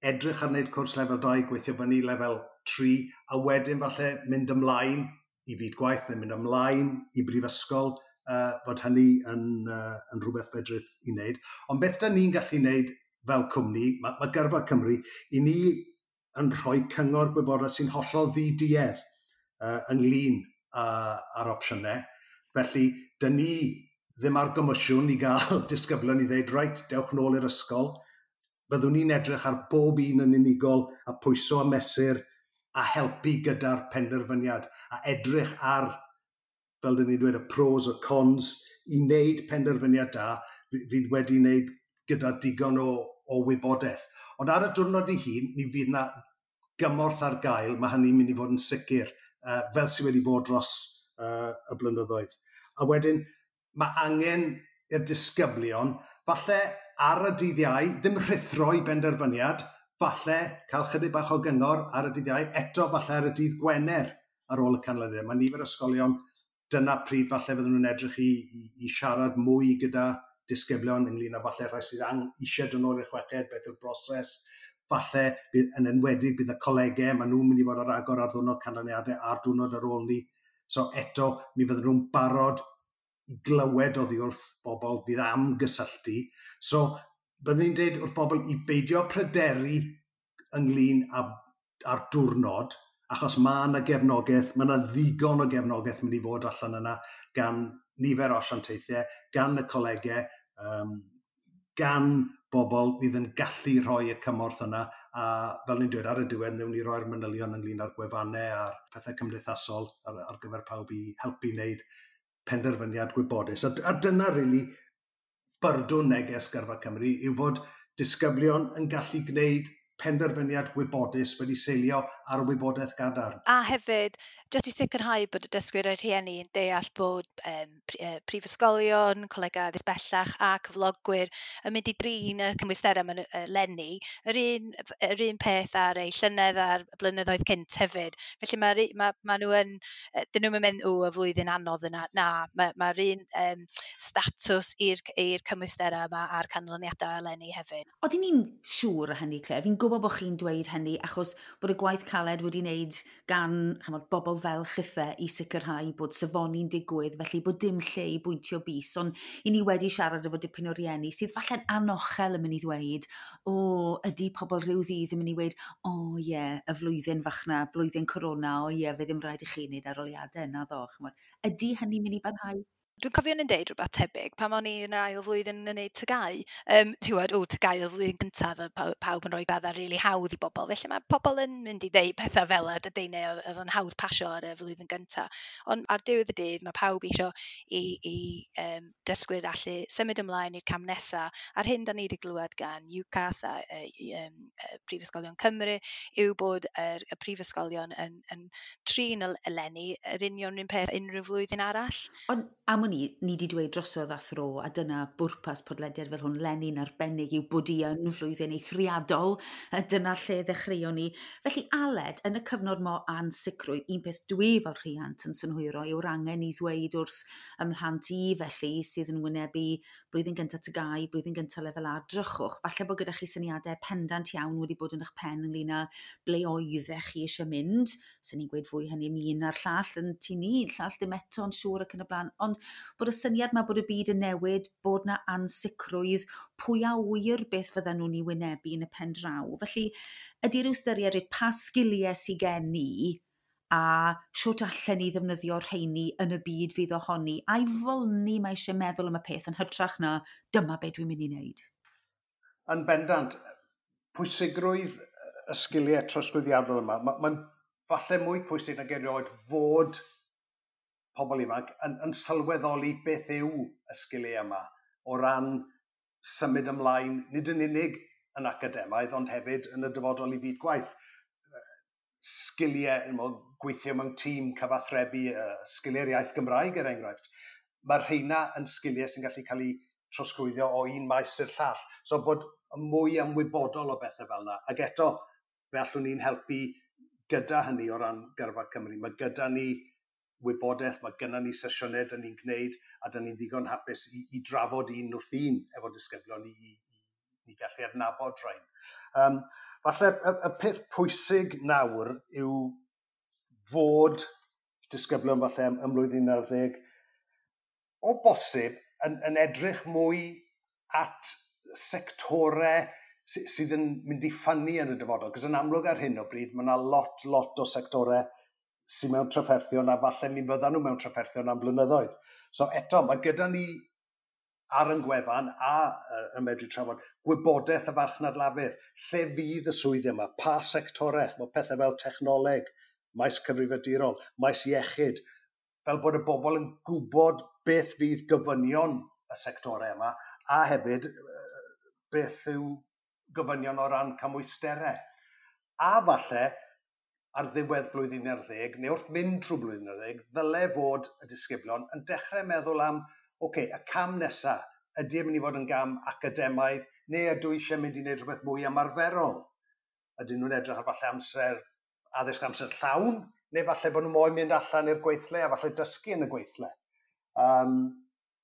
Speaker 4: edrych ar wneud cwrs lefel dau, gweithio fyny lefel tri, a wedyn falle mynd ymlaen i fyd gwaith neu mynd ymlaen i brifysgol, uh, fod hynny yn, uh, yn rhywbeth fedrith i wneud. Ond beth da ni'n gallu wneud fel cwmni, mae, mae Gyrfa Cymru, i ni yn rhoi cyngor gwybodaeth sy'n hollol ddiduedd uh, ynglyn â'r opsiynau. Felly, dyn ni ddim ar gomisiwn i gael disgyblion i ddeud, reit, dewch nôl i'r ysgol. Byddwn ni'n edrych ar bob un yn unigol a pwyso a mesur a helpu gyda'r penderfyniad a edrych ar, fel dyn ni'n dweud, y pros a cons i wneud penderfyniad da fydd wedi wneud gyda digon o, o wybodaeth. Ond ar y diwrnod ei hun, mi fydd na gymorth ar gael, mae hynny'n mynd i fod yn sicr, uh, fel sydd wedi bod dros uh, y blynyddoedd. A wedyn, mae angen i'r disgyblion, falle ar y dydd Iau, ddim rhuthro i benderfyniad, falle cael chydig bach o gyngor ar y dydd Iau, eto falle ar y dydd Gwener ar ôl y canlyniad. Mae nifer ysgolion, dyna pryd falle fydden nhw'n edrych i, i, i siarad mwy gyda disgyblion ynglyn â falle rhai sydd ang, eisiau dod nôl i'r chweched, beth yw'r broses, falle bydd, yn enwedig bydd y colegau, maen nhw'n mynd i fod ar agor ar ddwrnod canlyniadau a'r diwrnod ar ôl ni. So eto, mi fydden nhw'n barod i glywed oddi wrth bobl fydd am gysylltu. So, byddwn ni'n dweud wrth bobl i beidio pryderu ynglyn â, â'r diwrnod, achos mae yna gefnogaeth, mae yna ddigon o gefnogaeth mynd i fod allan yna gan nifer o asiantaethau, gan y colegau, um, gan bobl fydd yn gallu rhoi y cymorth yna, a fel ni'n dweud ar y diwedd, wnawn ni roi'r manylion ynglyn â'r gwefannau a'r pethau cymdeithasol ar, ar gyfer pawb i helpu wneud penderfyniad gwybodus. A, a dyna really byrdwn neges Gyrfa Cymru yw fod disgyblion yn gallu gwneud penderfyniad gwybodus wedi seilio ar wybodaeth gadarn.
Speaker 5: A hefyd, jyst i sicrhau bod y dysgwyr a'r rhieni yn deall bod um, prifysgolion, colegau addysg bellach a cyflogwyr yn mynd i drin y cymwysterau yma eleni, yr un, yr un peth ar ei llynedd a'r blynyddoedd cynt hefyd. Felly mae, ma, ma nhw yn, dyn nhw'n mynd, o, y flwyddyn anodd yna. Na, mae'r ma un um, statws i'r cymwysterau yma a'r canlyniadau eleni hefyd.
Speaker 1: Odyn ni'n siŵr o hynny, Claire? Fi'n gwybod bod chi'n dweud hynny achos bod y gwaith caled wedi wneud gan chymod, bobl fel chithe i sicrhau bod safoni'n digwydd, felly bod dim lle i bwyntio bys, ond i ni wedi siarad efo dipyn o rieni sydd falle'n anochel yn mynd i ddweud, o, ydy pobl rhyw ddydd yn mynd i weud, o ie, yeah, y flwyddyn fach na, blwyddyn corona, o ie, yeah, fe ddim rhaid i chi wneud arholiadau yna ddo. Chymod. Ydy hynny'n mynd i barhau?
Speaker 5: Dwi'n cofio yn deud rhywbeth tebyg pan o'n i yn yr ail flwyddyn yn gwneud T G A U. Um, ti'n gwybod, o, T G A U y flwyddyn gyntaf, a pawb yn rhoi graddau rili really hawdd i bobl. Felly mae pobl yn mynd i ddeud pethau fel y dydyn neu oedd yn hawdd pasio ar y flwyddyn gyntaf. Ond ar diwedd y dydd, mae pawb eisiau i, i um, dysgwyr allu symud ymlaen i'r cam nesaf. A'r hyn da ni wedi glywed gan UCAS a um, Prifysgolion Cymru yw bod yr, y prifysgolion yn, yn trin eleni yr union un peth unrhyw flwyddyn arall.
Speaker 1: Ond am wn i, ni wedi dweud drosodd a thro, a dyna bwrpas podlediad fel hwn, leni'n arbennig yw bod i yn flwyddyn eithriadol, a dyna lle ddechreuon ni. Felly Aled, yn y cyfnod mo ansicrwydd, un peth dwi fel rhiant yn synhwyro yw'r angen i ddweud wrth ymhlant i felly sydd yn wynebu blwyddyn gyntaf T G A U, blwyddyn gyntaf lefel A, drychwch. Falle bod gyda chi syniadau pendant iawn wedi bod yn eich pen ynglyn â ble oeddech chi eisiau mynd. Sy'n ni'n gweud fwy hynny am un a'r llall yn tŷ ni, llall ddim eto'n siŵr ac yn y blaen. Ond bod y syniad yma bod y byd yn newid, bod na ansicrwydd, pwy a ŵyr beth fydden nhw'n ei wynebu yn y pen draw. Felly, ydy rhyw ystyried pa sgiliau sydd gen i a siwt allen ni ddefnyddio rheini yn y byd fydd ohoni, a'i fol ni mae eisiau meddwl am y peth yn hytrach na dyma be dwi'n mynd i wneud.
Speaker 4: Yn bendant, pwysigrwydd y sgiliau trosglwyddiadol yma, mae'n ma falle mwy pwysig nag erioed fod pobl ifanc yn, yn sylweddoli beth yw y sgiliau yma o ran symud ymlaen, nid yn unig yn academaidd, ond hefyd yn y dyfodol i fyd gwaith. Sgiliau, gweithio mewn tîm, cyfathrebu, sgiliau'r iaith Gymraeg er enghraifft. Mae'r rheina yn sgiliau sy'n gallu cael eu trosglwyddo o un maes i'r llall. So bod mwy ymwybodol o bethau fel yna. Ac eto, fe allwn ni'n helpu gyda hynny o ran Gyrfa Cymru. Mae gyda ni wybodaeth, mae gyda ni sesiynau dyn ni'n gwneud, a dyn ni'n ddigon hapus i, i drafod un wrth un efo disgyblion i, i, i gallu adnabod rhain. Um, falle y, y peth pwysig nawr yw fod disgyblion falle ym, ym mlwyddyn ar ddeg o bosib yn, yn edrych mwy at sectorau sydd yn mynd i ffynnu yn y dyfodol. Cos yn amlwg ar hyn o bryd, mae yna lot, lot o sectorau sydd mewn trafferthion a falle mi fyddan nhw mewn trafferthion am blynyddoedd. So eto, mae gyda ni ar yn gwefan a uh, yn medru trafod gwybodaeth y farchnad lafur. Lle fydd y swyddi yma? Pa sectorau? Mae pethau fel technoleg, maes cyfrifiadurol, maes iechyd, fel bod y bobl yn gwybod beth fydd gofynion y sectorau yma, a hefyd beth yw gofynion o ran cymwysterau. A falle, ar ddiwedd blwyddyn ar ddeg, neu wrth mynd trwy blwyddyn ar ddeg, ddyle fod y disgyblion yn dechrau meddwl am, oce, okay, y cam nesaf, ydy e'n mynd i fod yn gam academaidd, neu ydw i eisiau mynd i wneud rhywbeth mwy ymarferol? Ydyn nhw'n edrych ar falle amser, addysg amser llawn, neu falle bod nhw moyn mynd allan i'r gweithle a falle dysgu yn y gweithle. Um,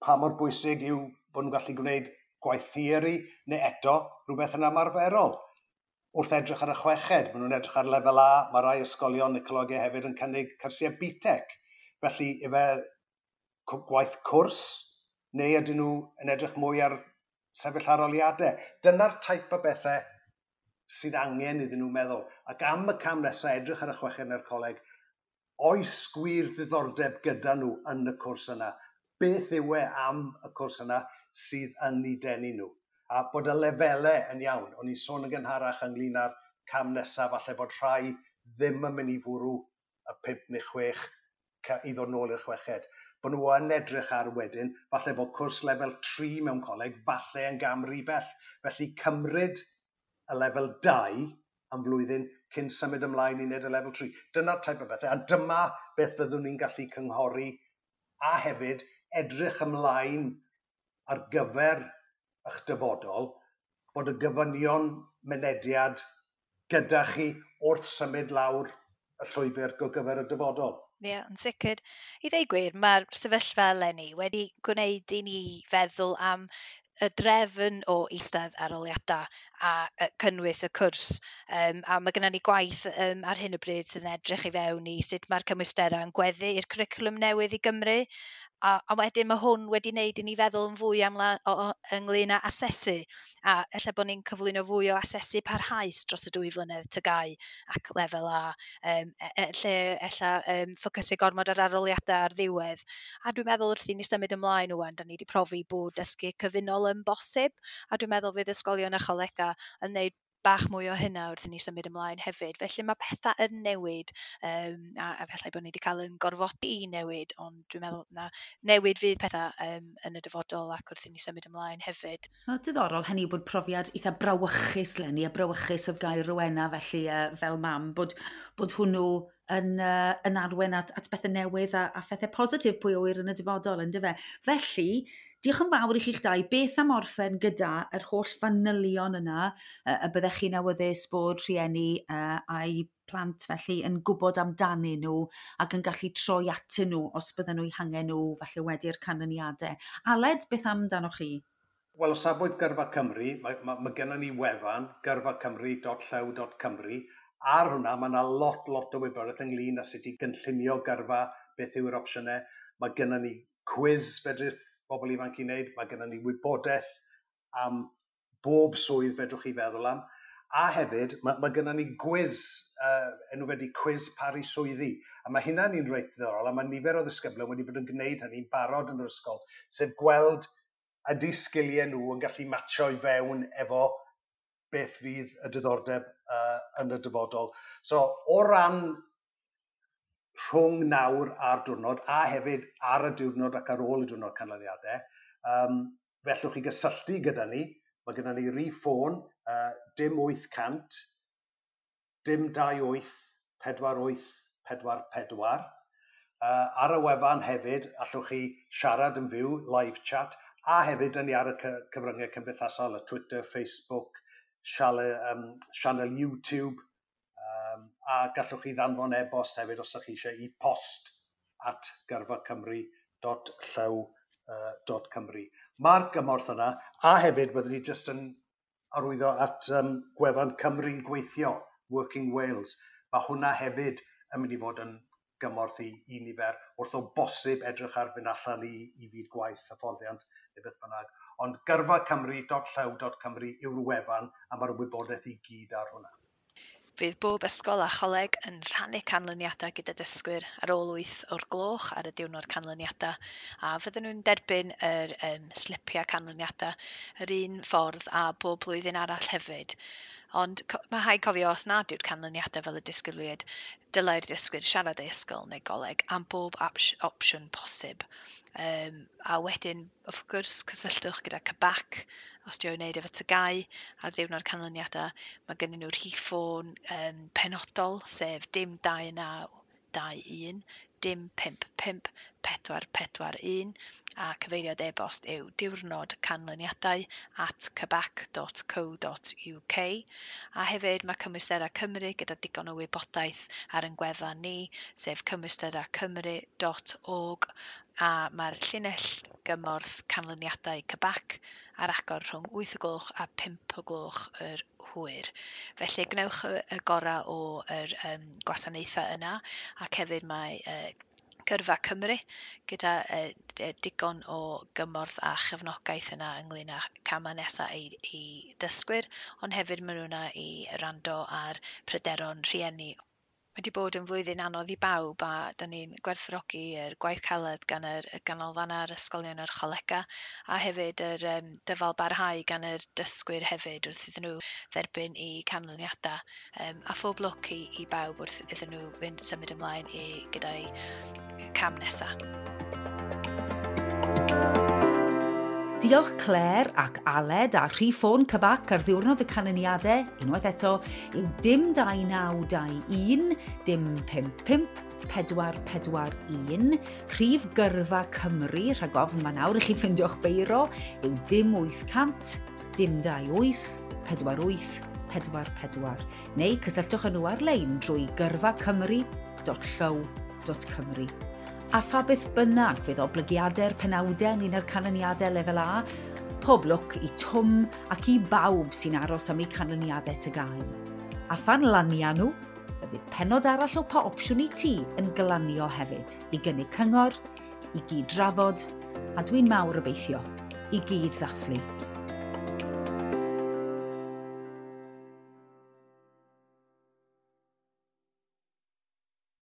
Speaker 4: pa mor bwysig yw bod nhw'n gallu gwneud gwaith theori, neu eto rhywbeth yn ymarferol. Wrth edrych ar y chweched, maen nhw'n edrych ar lefel A, mae rai ysgolion neu colegau hefyd yn cynnig cyrsiau B TEC. Felly, ife gwaith cwrs, neu ydyn nhw yn edrych mwy ar sefyll arholiadau? Dyna'r type o bethau sydd angen iddyn nhw meddwl. Ac am y cam nesaf, edrych ar y chweched neu'r coleg, oes gwir ddiddordeb gyda nhw yn y cwrs yna? Beth yw e am y cwrs yna sydd yn eu denu nhw? A bod y lefelau yn iawn. O'n i'n sôn yn gynharach ynglyn â'r cam nesaf, falle bod rhai ddim yn mynd i fwrw y pump neu chwech i ddod nôl i'r chweched. Bod nhw yn edrych ar wedyn, falle bod cwrs lefel tri mewn coleg, falle yn gam rhy bell. Felly cymryd y lefel dau am flwyddyn cyn symud ymlaen i wneud y lefel tri. Dyna'r type o bethau, a dyma beth fyddwn ni'n gallu cynghori a hefyd edrych ymlaen ar gyfer eich dyfodol, bod y gofynion mynediad gyda chi wrth symud lawr y llwybr go gyfer y dyfodol.
Speaker 5: Ie, yeah, yn sicr. I ddweud gwir, mae'r sefyllfa eleni wedi gwneud i ni feddwl am y drefn o eistedd arholiadau a cynnwys y cwrs. Um, a mae gennym ni gwaith um, ar hyn o bryd sydd yn edrych i fewn i sut mae'r cymwysterau yn gweddu i'r cwricwlwm newydd i Gymru. A, a wedyn mae hwn wedi wneud i ni feddwl yn fwy am la, o, o, ynglyn â asesu. A ella bod ni'n cyflwyno fwy o asesu parhaus dros y dwy flynedd T G A U ac lefel A, um, e, e, lle ella um, ffocysu gormod ar arholiadau ar ddiwedd. A dwi'n meddwl wrth i ni symud ymlaen ŵan, da ni wedi profi bod dysgu cyfunol yn bosib, a dwi'n meddwl fydd ysgolion a cholegau yn gwneud bach mwy o hynna wrth i ni symud ymlaen hefyd. Felly mae pethau yn newid, um, a, a felly bod ni wedi cael yn gorfodi i newid, ond dwi'n meddwl na newid fydd pethau um, yn y dyfodol ac wrth i ni symud ymlaen hefyd.
Speaker 1: No, diddorol hynny bod profiad eitha brawychus 'leni, a brawychus oedd gair Rowena felly uh, fel mam, bod, bod hwnnw yn, uh, yn arwain at, at bethau newydd a, a phethau positif, pwy a ŵyr, yn y dyfodol, yn dyfe. Felly, diolch yn fawr i chi'ch dau. Beth am orffen gyda yr holl fanylion yna uh, y byddech chi'n awyddus bod rhieni uh, a'i plant felly yn gwybod amdanyn nhw ac yn gallu troi atyn nhw os bydden nhw eu hangen nhw falle wedi'r canlyniadau? Aled, beth amdanoch chi?
Speaker 4: Wel, o safbwynt Gyrfa Cymru, mae, mae, mae gennym ni wefan gyrfacymru dot llyw dot cymru. Ar hwnna, mae yna lot, lot o wybodaeth ynglyn â sut i gynllunio gyrfa, beth yw'r opsiynau. Mae gennym ni quiz fedrith bobl ifanc i wneud, mae gennym ni wybodaeth am bob swydd fedrwch chi feddwl am. A hefyd, mae, mae gennym ni gwis uh, enw fe di Cwis Paru Swyddi. A mae hynna'n un reit ddiddorol, a mae nifer o ddisgyblion wedi bod yn gwneud hynny'n barod yn yr ysgol, sef gweld ydy sgiliau nhw yn gallu matcho i fewn efo beth fydd y diddordeb uh, yn y dyfodol. So, o ran rhwng nawr a'r diwrnod, a hefyd ar y diwrnod ac ar ôl y diwrnod canlyniadau, um, fe allwch chi gysylltu gyda ni. Mae gyda ni rif ffôn, uh, dim wyth cant, dim dau wyth, pedwar wyth, pedwar pedwar. Uh, ar y wefan hefyd, allwch chi siarad yn fyw, live chat, a hefyd yn ni ar y cyfryngau cymdeithasol, y Twitter, Facebook, siale, um, sianel YouTube, um, a gallwch chi ddanfon e-bost hefyd os ydych chi eisiau i post at gyrfacymru dot llyw dot cymru. Mae'r gymorth yna, a hefyd byddwn ni jyst yn arwyddo at um, gwefan Cymru'n Gweithio, Working Wales. Mae hwnna hefyd yn mynd i fod yn gymorth i, i nifer, wrth o bosib edrych ar fynd allan i, i fyd gwaith, hyfforddiant neu beth bynnag. Ond gyrfa cymru dot llyw dot cymru yw'r wefan, a mae'r wybodaeth i gyd ar hwnna.
Speaker 5: Fydd bob ysgol a choleg yn rhannu canlyniadau gyda dysgwyr ar ôl wyth o'r gloch ar y diwrnod canlyniadau, a fydden nhw'n derbyn yr um, slipiau canlyniadau yr un ffordd a bob blwyddyn arall hefyd. Ond mae rhaid cofio os nad yw'r canlyniadau fel y disgwyliad, dylai'r dysgwyr siarad ei ysgol neu goleg am bob opsiwn posib. Um, a wedyn, wrth gwrs, cysylltwch gyda C B A C os di o'n wneud efo T G A U ar ddiwrnod canlyniadau. Mae gennyn nhw rhif ffôn um, penodol, sef dim dau naw dau un, dim pump pump pedwar pedwar un, a cyfeiriad e-bost yw diwrnod canlyniadau at cbac dot co dot U K. A hefyd mae Cymwysterau Cymru gyda digon o wybodaeth ar ein gwefan ni, sef cymwysterau cymru dot org, a mae'r llinell gymorth canlyniadau C B A C ar agor rhwng wyth o gloch a pump o gloch yr hwyr. Felly gwnewch y, y gorau o'r um, gwasanaethau yna, ac hefyd mae uh, Gyrfa Cymru gyda uh, digon o gymorth a chefnogaeth yna ynglyn â camau nesaf i, i dysgwyr, ond hefyd maen nhw yna i wrando ar pryderon rhieni. Mae wedi bod yn flwyddyn anodd i bawb, a da ni'n gwerthfawrogi yr gwaith caled gan yr ganolfannau, yr ysgolion a'r cholega, a hefyd yr um, dyfal barhau gan yr dysgwyr hefyd wrth iddyn nhw dderbyn eu canlyniadau. Um, a phob lwc i, i bawb wrth iddyn nhw fynd symud ymlaen i gyda'i cam nesaf.
Speaker 1: Diolch Claire ac Aled, a rhif ffôn C B A C ar ddiwrnod y canlyniadau, unwaith eto, yw dim dau naw dau un, dim pump pump, pedwar pedwar un. Rhif Gyrfa Cymru, rhag ofn mae nawr i chi ffeindio'ch beiro, yw dim wyth cant, dim dau wyth, pedwar wyth, pedwar pedwar. Neu cysylltwch â nhw ar-lein drwy gyrfa cymru dot llyw dot cymru. A pha beth bynnag fydd oblygiadau'r penawdau ynglyn â'r canlyniadau lefel A, pob lwc i Twm ac i bawb sy'n aros am eu canlyniadau T G A U. A phan lania nhw, fe fydd pennod arall o Pa Opsiwn i Ti yn glanio hefyd, i gynnig cyngor, i gyd drafod, a dwi'n mawr obeithio, i gyd ddathlu.